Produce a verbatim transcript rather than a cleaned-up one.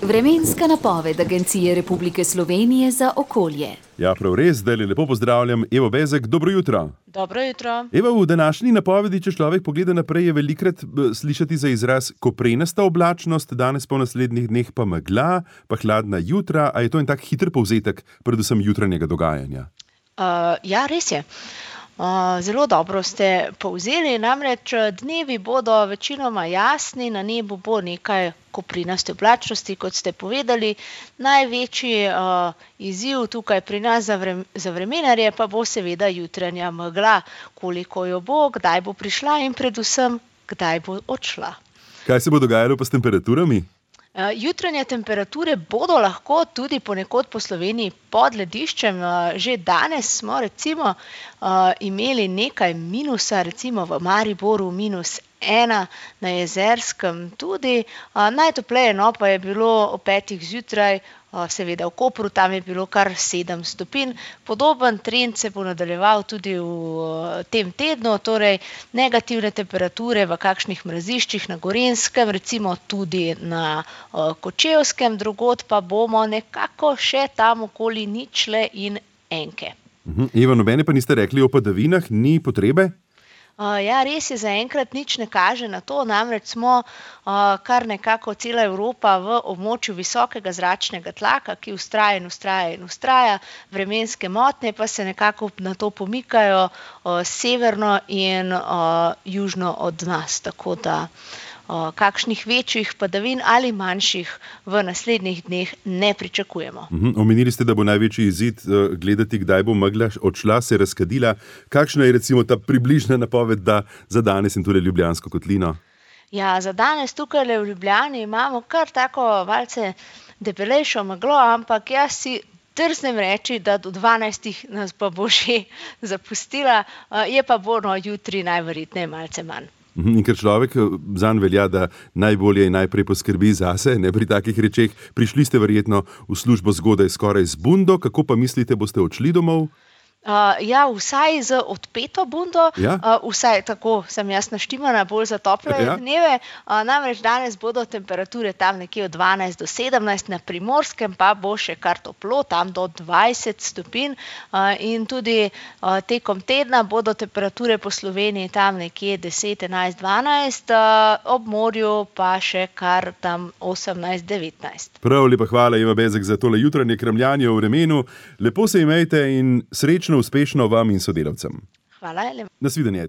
Vremenska napoved Agencije Republike Slovenije za okolje. Ja, prav res, zdaj lepo pozdravljam Evo Bezek, dobro jutro. Dobro jutro. Eva, v današnji napovedi, če človek pogleda naprej, je velikrat slišati za izraz koprenasta oblačnost, danes po naslednjih dneh pa megla, pa hladna jutra, a je to en tak hiter povzetek, predvsem jutranjega dogajanja? Uh, ja, res je. Uh, zelo dobro ste povzeli, namreč dnevi bodo večinoma jasni, na nebu bo nekaj koprinaste oblačnosti, kot ste povedali. Največji uh, izziv tukaj pri nas za, vrem, za vremenarje pa bo seveda jutranja megla, koliko jo bo, kdaj bo prišla in predvsem, kdaj bo odšla. Kaj se bo dogajalo pa s temperaturami? Uh, jutranje temperature bodo lahko tudi ponekod po Sloveniji pod lediščem. Uh, že danes smo recimo uh, imeli nekaj minusa, recimo v Mariboru minus ena, na Jezerskem tudi. Uh, najtopleje no pa je bilo ob petih zjutraj, uh, seveda v Kopru, tam je bilo kar sedem stopinj. Podoben trend se bo nadaljeval tudi v uh, tem tednu, torej negativne temperature v kakšnih mraziščih na Gorenjskem, recimo tudi na uh, Kočevskem, drugod pa bomo nekako še tam okoli ničle in enke. Uh-huh. Eva, nobene pa niste rekli o padavinah, ni potrebe? Uh, ja, res je, zaenkrat nič ne kaže na to, namreč smo uh, kar nekako cela Evropa v območju visokega zračnega tlaka, ki vztraja in vztraja in vztraja, vremenske motnje pa se nekako na to pomikajo uh, severno in uh, južno od nas, tako da uh, kakšnih večjih padavin ali manjših v naslednjih dneh ne pričakujemo. Uh-huh. Omenili ste, da bo največji izid uh, gledati, kdaj bo megla odšla, se razkadila. Kakšna je recimo ta približna napoved, da za danes in tudi Ljubljansko kotlino? Ja, za danes tukaj v Ljubljani imamo kar tako malce debelejšo meglo, ampak jaz si trznem reči, da do dvanajstih nas pa bo že zapustila, je pa bo no jutri najverjetneje malce manj. In ker človek zanj velja, da najbolje in najprej poskrbi zase, ne pri takih rečeh, prišli ste verjetno v službo zgodaj skoraj z bundo, kako pa mislite, boste odšli domov? Uh, ja, vsaj z odpeto bundo, ja? uh, vsaj tako sem jaz naštimana bolj za tople ja? dneve. Uh, namreč danes bodo temperature tam nekje od dvanajst do sedemnajst, na Primorskem pa bo še kar toplo, tam do dvajset stopinj. Uh, in tudi uh, tekom tedna bodo temperature po Sloveniji tam nekje deset, enajst, dvanajst, uh, ob morju pa še kar tam osemnajst, devetnajst. Prav, lepa hvala, Eva Bezek, za tole jutranje kramljanje v vremenu. Lepo se imejte in srečno, uspešno vam in sodelavcem. Hvala. Nasvidenje.